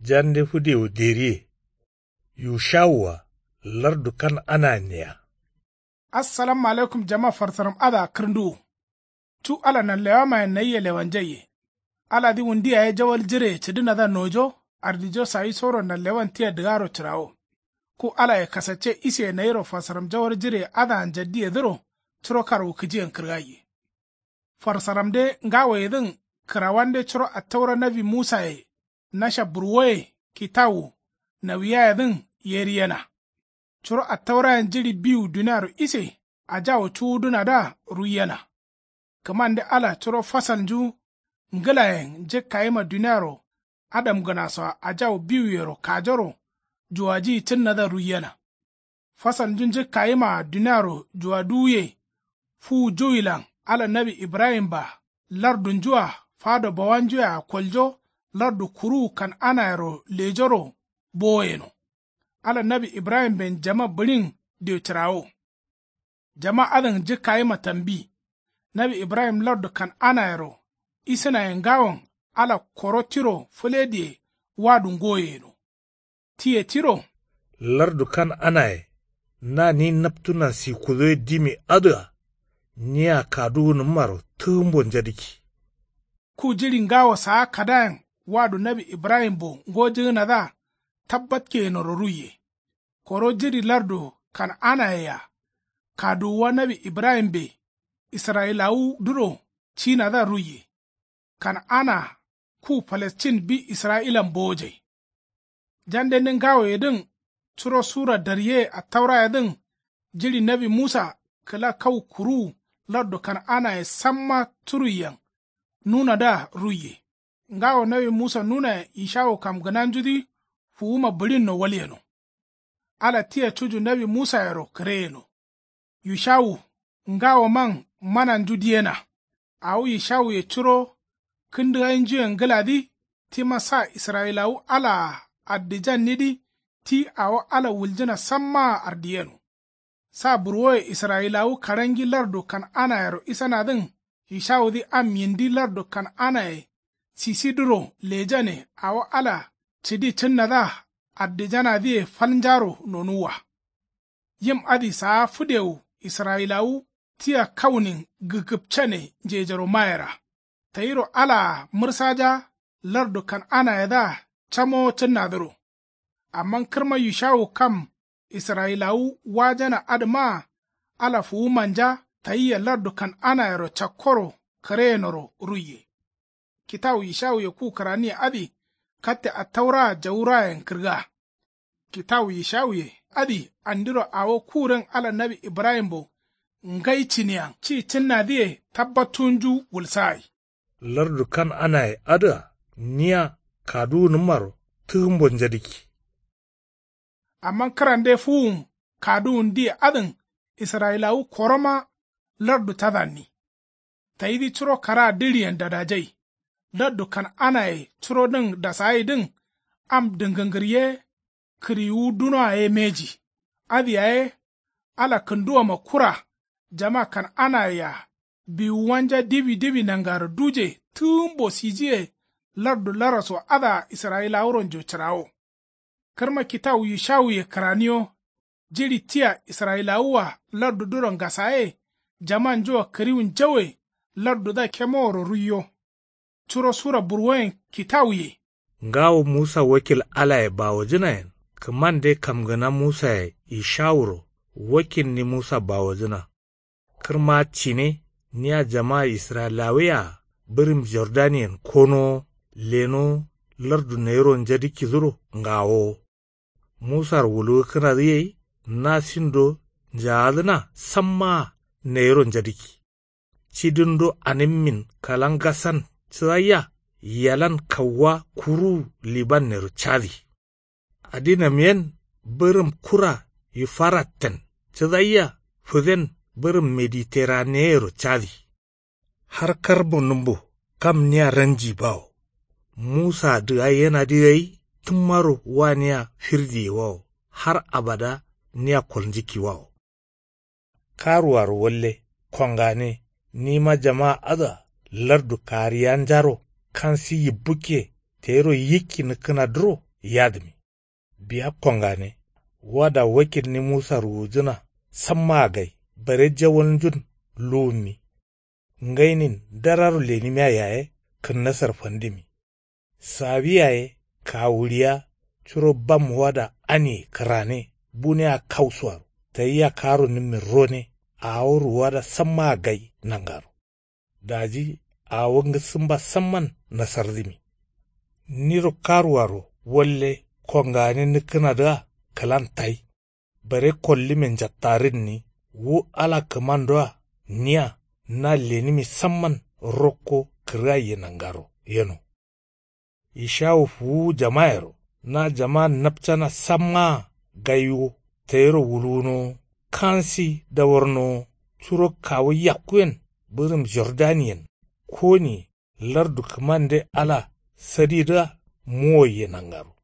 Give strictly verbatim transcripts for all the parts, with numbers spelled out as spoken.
Jande fǝdewu deriye. Yushawua lardu kan anayen neya. Assalamu alaikum jama farsaram adǝa kǝrnduwu. Cu ala nanlewamayen nayia lewanjaiye. Aladǝ wundi yaye jawal jireye cǝdǝnadǝa nojo ardijo sawisoro nanlewan tia dǝgaro cǝrawo. Ku alaye kasacce iseye nayiro farsaram jawal jireye adǝa njaddiyedǝro curo karwukǝjiyen kǝrgaiye. Farsaramde ngawoyedǝn kǝrawande curo attaura nawi musaye nasha burwoye kitawu nawiyayedǝn yeriyena. Curo attaurayen jiɍi biwu duniaro ise ajawu cuwudǝnadǝa ruiyena. Kǝmande ala curo fasalnju ngǝlayen njǝkkayima duniaro adamgǝnasoa ajawu biwuyero kajoro juwajiyi cǝnnadǝa ruiyena. Fasalnju njǝkkayimaa duniaro juwaduwuye fuwu juwilan ala nawi ibrahim-a lardunjua fado bawanjuyea koljo lardu kuruwu kan'anayero lejoro bowo yeno. Ala nawi ibrahimben jama bǝɍin dio cǝrawo. Jama adǝn njǝkkayima tambi. Nawi ibrahim lardu kan'anayero isǝnaye ngawon ala koro tiro fǝlediye wadu ngoye yeno. Tiye tiro lardu kan'anaye na ni naptuna sikudoye dimi adǝa nia kaduwunǝmmaro tǝgǝmbo njadǝkki. Ku jiɍi ngawo saa kadayen wadu nawi ibrahimbo ngojǝgǝnadǝa tabbatkeyenoro ruiye. Koro jiɍi lardu kan'anayea kaduwuwa nawi ibrahimbe israyilawudǝro cinadǝa ruiye. Kan'ana ku palestin bi israyilan bowojai. Jandende ngawoyedǝn curo sura daryeye attaurayedǝn jiɍi nawi musa kǝla kau kuruwu lardu kan'anaye samma curuiyen nunadǝa ruiye. Ngawo nawi musa nunayen ishawu kamgǝnanjudǝ fuwuma bǝɍinno walyeno. Ala tia cuju nawi musayero kǝreyeno. Yushawu ngawoman mananju diyena. Awo yushawuye curo kǝndǝgainjuyen ngǝladǝ tima sa israyilawu alaa addijannidǝ ti awo ala wuljǝna sammaa ardiyeno. Sa burwoye israyilawu karangi lardu kan'anayero isanadǝn yushawudǝ am yindi lardu kan'anaye sisidǝro lejane awo ala cǝdi cǝnnadǝa addijanadǝye falnjaro nonuwwa. Yim adǝ saa fǝdewu israyilawu tia kaunin gǝgǝpcane njejero mayera. Tayiro alaa mǝrsaja lardu kan'anayedǝa camowo cǝnnadǝro. Amma kǝrma yushawu kam israyilawu wajana adǝmaa ala fuwumanja tayia lardu kan'anayero cakkoro kǝreyenoro ruiye. Kitawu yishawuye ku kǝraniye adǝ katte attauraa jawurayen kǝrga. Kitawu yishawuye adǝ andiro awo kuren ala nawi ibrahimbo ngai cǝniyen ci cǝnnadǝye tabbattunju wulsagai. Lardu kan'anaye adǝa nia kaduwunǝmmaro tǝgǝmbo njadǝkki. Amma kǝrande fuwun kaduwundiye adǝn israyilawu koroma lardu cadanni. Tayidǝ curo karaa dǝɍiyen dadajai. Lardu kan'anaye curodǝn dasagaidǝn am dǝngǝngǝr ye kǝriwu dunoa ye mbeji. Adǝ yaye ala kǝnduwoma kura jama kan'anayea biwuwanja diwi diwi nangaro duje tǝgǝmbo sijiye lardu laraso adǝa israyilawuronjo cǝrawo. Kǝrma kitawu yushawuye kǝraniyo jiɍi tia israyilawua lardudǝro ngasaye jamanjua kǝriwu njauwe lardudǝa kemoworo ruiyo. Curo sura burwoyen kitawuye. Ngawo musa wakil alaye bawojǝnayen kǝmande kamgǝna musaye ishawuro wakilni musa bawojǝna. Kǝrma cine nia jama israyilawuyea bǝrǝm jordaniyen konowo lenowo lardu nayiro njadǝkkidǝro ngawowo. Musaro wulgǝkkǝnadǝ gai na sindo njaadǝna sammaa nayiro njadǝkki. Cidǝndo anǝmmin kalangasan cǝdaiya yalan kauwa kuruwu libannero cadǝ. Adinam yen bǝrǝm kura yufaratten cǝdaiya fǝden bǝrǝm mediteraneyero cadǝ. Har karbo nǝmbo kam nia ranji bawo. Musa dǝgai yenadǝ gai tǝmmaro wa nia firdiye wawo har abada nia kolnjǝkkiwawo. Karuwaro walle kongane nima jama adǝa lardu kariyanjaro kansi yibbukke tayiro yikki nǝkkǝnadǝro yadǝmi. Biya kongane wada wakilni musa ruwujǝna sammaa gai bare jawalnjun luwummi. Ngainin dararo lenimiya yaye kǝnnasar fandǝmi. Sawi yaye kawuɍiya curo bam wada aniye kǝrane bunea kausuaro tayia karonǝmmin rone. Awo ruwada sammaa gai nangaro. Daji awo ngǝsǝmba samman nasardǝmi. Niro karuaro walle kongane nǝkkǝnadǝa kǝlan tai. Bare kollimen njattarǝnni wu ala kǝmandoa nia na lenǝmi samman rokko kǝrgaiye nangaro yeno. Ishawu fuwuwu jamayero na jama napcana sammaa gaiwo tayiro wulwunowo kansi dawarnowo curo kawu yakkuyen bǝrǝm jordaniyen koniye lardu kǝmande ala sadidǝa muwoiye nangaro.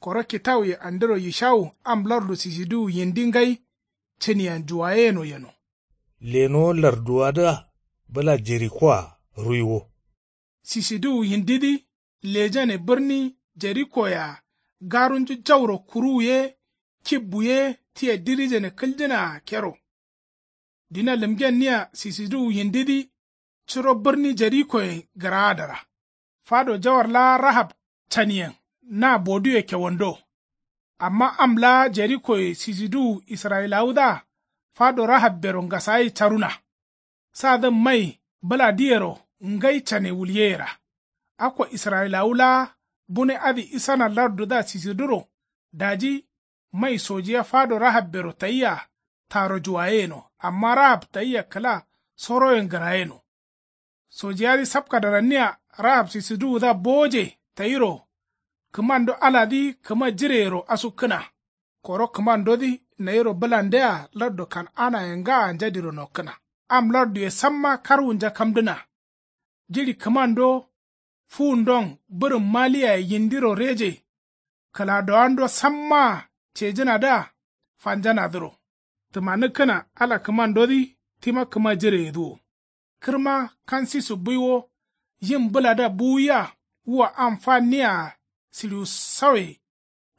Koro kitawuye andiro yishawu am lardu sisiduwu yindi ngai cǝniyen juwayeyeno yeno. Lenowo larduwadǝa bǝla jerikoa ruiwo. Sisiduwu yindidǝ lejane bǝrni jerikoyea garunju jauro kuruwu ye kibbu ye tia dirijane kǝljǝnaa kero. Dina lǝmgenniya sisiduwu yindidǝ curo bǝrni jerikoyen gǝraadara. Fado jawar laa rahab caniyen na boduye kewando. Amma am laa jerikoye sisiduwu israyilawudǝa fado rahabbero ngasagai caruna. Sadǝn mai bǝladǝyero ngai cane wulyeyera. Akko israyilawu laa bune adǝ isana lardudǝa sisiduro daji mai sojiya fado rahabbero tayia taro juwayeyeno amma rahab tayia kǝla soroyen gǝrayeno. Sojiyadǝ sapkadaranniya rahab sisiduwudǝa bowoje tayiro kǝmando aladǝ kǝma jireyero asukkǝna. Koro kǝmandodǝ nayiro bǝlandea lardu kan'anaye ngaa njadiro nokkǝna. Am larduye samma karwunja kamdǝna. Jiɍi kǝmando fuwundon bǝrǝm maliyaye yindiro reje kǝladowando sammaa cejǝnadǝa fanjanadǝro. Tǝmanǝkkǝna ala kǝmandodǝ tima kǝma jireyedǝ wo. Kǝrma kansisu buiwo yin bǝladǝa buwuya wua am fanniyaa sǝɍiwu sauye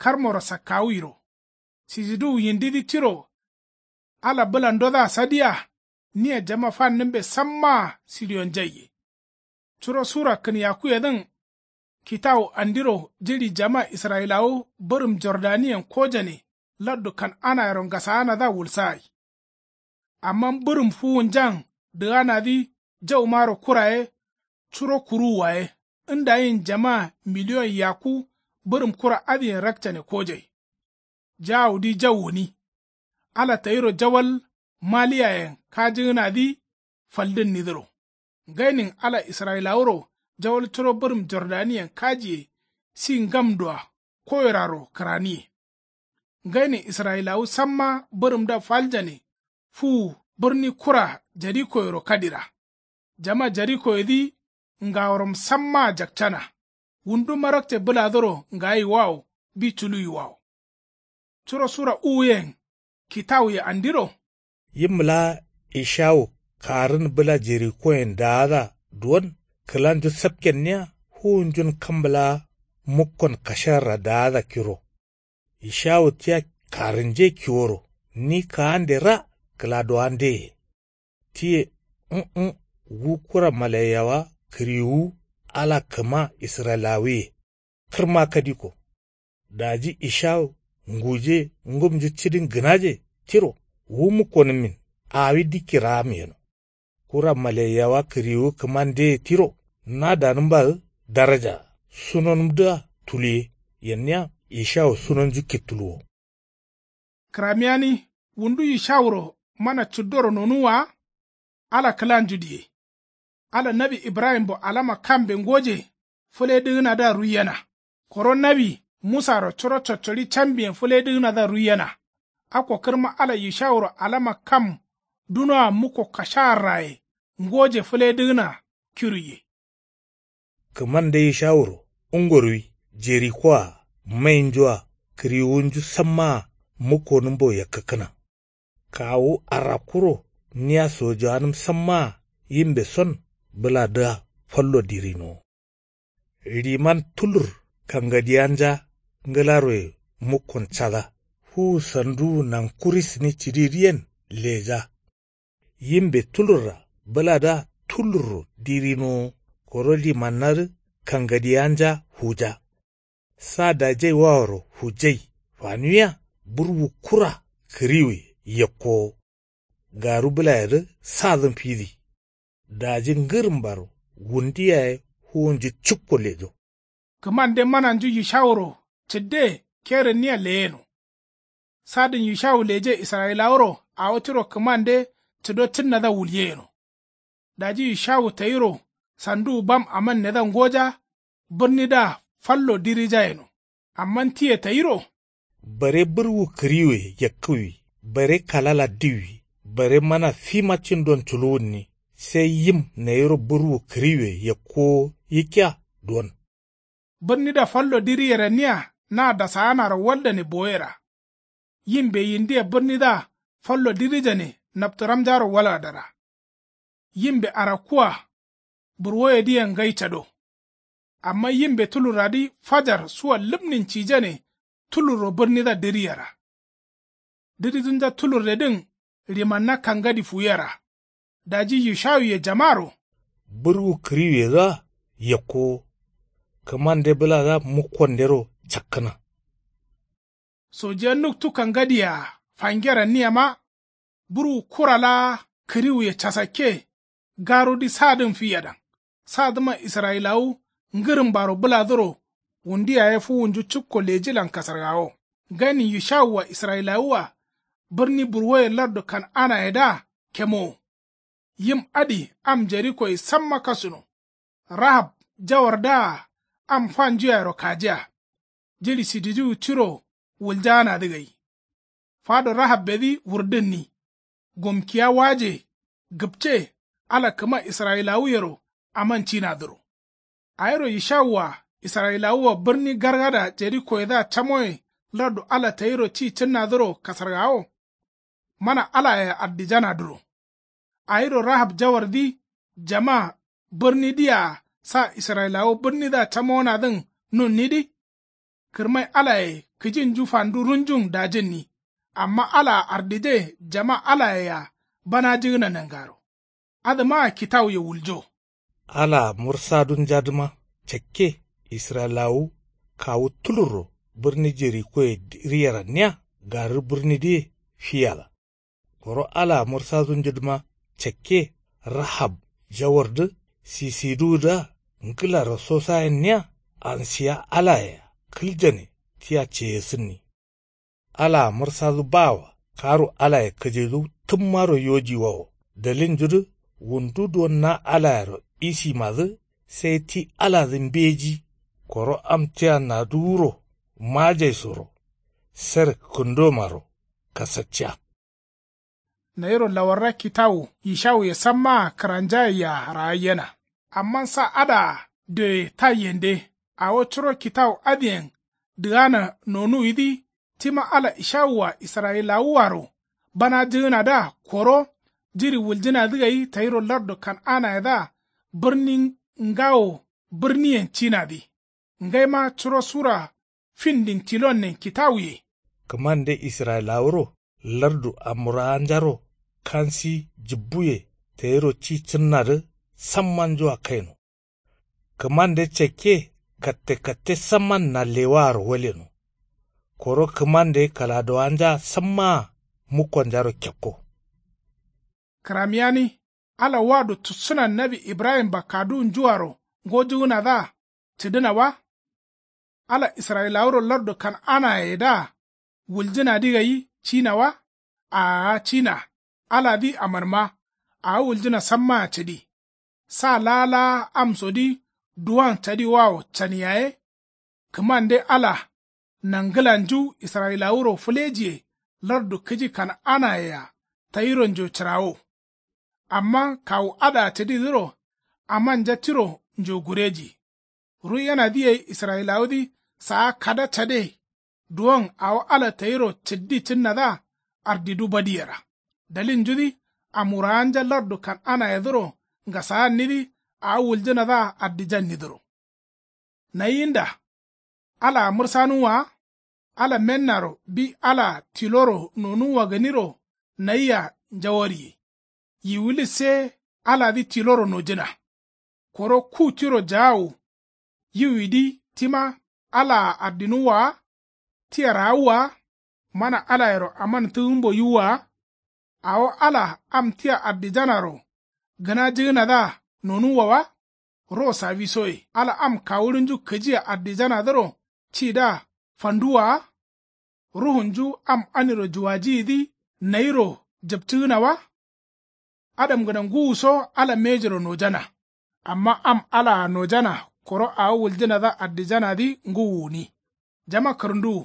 karmoro sakkawuiro. Sisiduwu yindidǝ tiro ala bǝlandodǝa sadiya nia jama fannǝmbe sammaa sǝɍiwonjaiye. Curo sura kǝnyakkuyedǝn kitawu andiro jiɍi jama israyilawu bǝrǝm jordaniyen kojane lardu kan'anayero ngasaanadǝa wulsagai. Amma bǝrǝm fuwunjan dǝganadǝ jaumaro kura ye curo kuruwwa ye ndayin jama miliyon yakku bǝrǝm kura adǝyen rakcane kojai. Jawudǝ jau gǝni ala tayiro jawal maliyayen kajigǝnadǝ faldǝnnidǝro. Ngainin ala israyilawuro jawal curo bǝrǝm jordaniyen kajiye si ngamdua koyeraro kǝraniye. Ngainin israyilawu samma bǝrǝmdǝa faljane fuwu bǝrni kura jerikoyero kadira. Jama jerikoyedǝ ngaworom sammaa jakcana. Wundu marakce bǝladoro ngayiwawo bi culuwiwawo. Curo sura uwuyen kitawuye andiro. Yim laa ishawu karǝn bǝla jerikoyen daada duwon kǝlanju sapkenniya fuwunjun kam laa mukkon kasharra daada kiro. Ishawu tia karǝnje kiworo ni kaande ra kǝladowandeye. Tiye ǝ̃-ǝ̃ wu kura malaiyawa kǝriwuwu ala kǝma israyilawuye kǝrma kadiko. Daji ishawu nguje ngumnju cidin gǝnaje tiro wu mukkonǝmmin awi dikki raam yeno. Kura malaiyawa kǝriwu kǝmandeye tiro na danǝmbadǝ daraja sunonǝmdǝa tuluye yenniya ishawu sunonju kittuluwo. Kǝramiyani wundu ishawuro mana cuddoro nonuwwa wa. Ala kǝlanju diye. Ala nawi ibrahimbo alama kambe ngoje fǝledǝgǝnadǝa ruiyena. Koro nawi musaro curo coccoɍi cambiyen fǝledǝgǝnadǝa ruiyena. Akko kǝrma ala ishawuro alama kam dunoa mukko kashaarraye ngoje fǝledǝgǝna kiruiye. Kǝmande ishawuro ungoruwi jerikoa mainjua kǝriwunju sammaa mukkonǝmbo yakkǝkkǝna. Kawu arakkuro nia sojowanǝm sammaa yimbe son bǝladǝa fallo dirinowo. Riman tulur kangadiyanja ngǝlaroye mukkon cada fuwu sanduwu nankurisni cǝdidǝyen leja. Yimbe tulurra bǝladǝa tulurro dirinowo koro limannadǝ kangadiyaanja fuja. Sa dajaiwaworo fujai fanuwiya burwu kura kǝriwuye yakkowo. Garu bǝlayedǝ sadǝn fidi. Daji ngǝrǝmbaro wundu yaye fuwunju cukko lejo. Kǝmande mananju yishawuro cǝdde kerǝnniya leyeno. Sadǝn yishawu leje israyilawuro awo tiro kǝmande cǝdo cǝnnadǝa wulyeyeno. Daji yishawu tayiro sanduwu bam amannedǝa ngoja bǝrnidǝa fallo dirijayeno. Amma tiye tayiro bare burwu kǝriwuye yakkǝwi bare kalala diwwi bare mana fima cindon culuwunni. Sai yim nayiro burwu kǝriwuye yakkowo yikkiya duwon. Bǝrnidǝa fallo diriyeranniya na dasaanaro waldane boyera. Yimbe yindia bǝrnidǝa fallo dirijane naptǝramjaro walgadara. Yimbe arakkua burwoyedǝyen ngai cado. Amma yimbe tulurradǝ fajar sua lǝmnin cijane tulurro bǝrnidǝa diriyera. Diridunja tulurredǝn rimanna kangadi fuwiyera. Daji yushawuye jamaro burwu kǝriwuyedǝa yakkowo. Kǝmande bǝladǝa mukkondero cakkǝna. Sojiya nuktu kangadiyea fangeranniyema burwu kura laa kǝriwuye casakke. Garudǝ sadǝn fiyadan sadǝma israyilawu ngǝrǝmbaro bǝladǝro wundu yaye fuwunju cukko lejilan kasargawo. Ganin yishawua israyilawua bǝrni burwoye lardu kan'anayedǝa kemowo. Yim adǝ am jerikoye samma kasuno. Rahab jawardǝa am fanjuyayero kajiya. Jiɍi sidijiwu tiro wuljaanadǝ gai. Fado rahabbedǝ wurdǝnni. Gomkiya waje gǝpce ala kǝma israyilawuyero aman cinadǝro. Awiro yishawua israyilawua bǝrni gargada jerikoyedǝa camoye lardu ala tayiro ci cǝnnadǝro kasargawo. Mana alayea ardijanadǝro. Awiro rahab jawardǝ jama bǝrnidǝyea sa israyilawu bǝrnidǝa camonadǝn nunnidǝ. Kǝrmai alaye kǝjinju fandu runjun dajǝnni. Amma alaa ardije jama alayea banajǝgǝna nangaro. Adǝmaa kitawuye wuljo. Alaa mursadunjadǝma cakke israyilawu kawu tulurro bǝrni jerikoye diriyeranniya garǝ bǝrnidǝye fiyada. Koro alaa mursadunjudǝma cakke rahab jawardǝ sisiduwudǝa ngǝlaro sosayenniya ansiya alayea kǝljane tia ceyesǝnni. Alaa mursadǝ bawa karu alaye kǝjidu tǝmmaro yojiwawo. Dalinjudǝ wundu duwon na alayero isimadǝ sai ti aladǝ mbeji. Koro am tia naduwuro majaisoro ser kǝndomaro kasacciya. Nayiro lawarra kitawu yishawuye sammaa kǝranjayeia raayyena. Amma sa adǝa dioye taiyende awo curo kitawu adǝyen dǝgana nonuwidǝ. Tima ala ishawua israyilawuaro banajǝgǝnadǝa koro jiɍi wuljǝnadǝ gai tayiro lardu kan'anayedǝa bǝrni ngawo bǝrniyen cinadǝ. Ngaima curo sura findin tilonnen kitawuye. Kǝmande israyilawuro lardu amurawanjaro kansi jǝbbuye tayiro ci cǝnnadǝ sammanjua kaino. Kǝmande cakke katte katte samman nallewaaro waleno. Koro kǝmande kaladowanjaa sammaa mukkonjaro kekko. Kǝramiyani ala wado tussǝnan nawi ibrahim bakkaduwunjuaro ngojugǝnadǝa cǝdǝna wa? Ala israyilawuro lardu kan'anayedǝa wuljǝnadǝ gai cina wa? Aa cina. Aladǝ amarma awo wuljǝna sammaa cǝdi. Sa laa laa amsodǝ duwon cadiwawo can yaye. Kǝmande ala nangǝlanju israyilawuro fǝlejiye lardu kǝji kan'anayea tayironjo cǝrawo. Amma kawu adǝa cǝdidǝro amanja tiro njogureji. Ruyenadǝ gai israyilawudǝ saa kada cade. Duwon awo ala tayiro cǝddi cǝnnadǝa ardidu badiyera. Dalinjudǝ amurawanja lardu kan'anayedǝro ngasaannidǝ awo wuljǝnadǝa ardijannidǝro. Nayinda alaa mǝrsanuwwa wa. Ala mennaro bi alaa tiloro nonuwwa gǝniro nayia njawarye. Yiwulis ye aladǝ tiloro nojǝna. Koro ku tiro jaawu yiwidǝ tima alaa addinuwwa wa? Tia raawwa wa? Mana alayero aman tǝgǝmbo yiwwa wa? Awo ala am tia addijanaro gǝnajǝgǝnadǝa nonuwwa wa? Ro sawisoye ala am kawuɍinju kǝjia addijanadǝro cidǝa fanduwwa wa? Ruhunju am aniro juwajiyidǝ nayiro jǝpcǝgǝna wa? Adamgǝna ngǝwuso ala mejiro nojana. Amma am alaa nojana koro awo wuljǝnadǝa addijanadǝ ngǝwu gǝni. Jama kǝrǝnduwu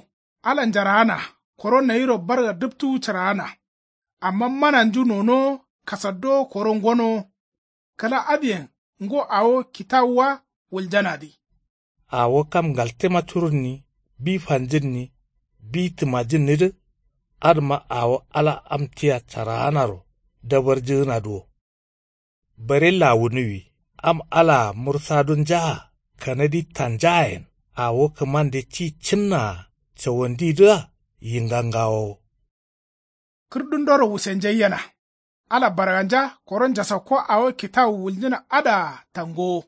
ala njaraana koro nayiro barga dǝptuwu cǝraana. Amma mananju nonowo kasaddowo koro ngonowo. Kǝla adǝyen ngo awo kitawuwa wuljanadǝ. Awo kam ngaltema curunni bi fanjǝnni bi tǝmajǝnnidǝ. Adǝma awo ala am tia caraanaro dabarjǝgǝnadǝ wo. Bare lawunuwi am alaa mursadunjaa kanadi tanjaayen awo kǝmande ci cǝnnaa cawandidǝa yingangawowo. Kǝrdundoro wusenjaiyena ala barganja koro njasakko awo kitawu wuljǝna adǝa tangowo.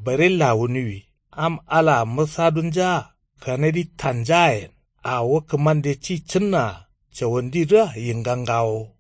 Bare lawunuwi am alaa mǝrsadunjaa kanadi tanjaayen awo kǝmande ci cǝnnaa cawandidǝa yingangawowo.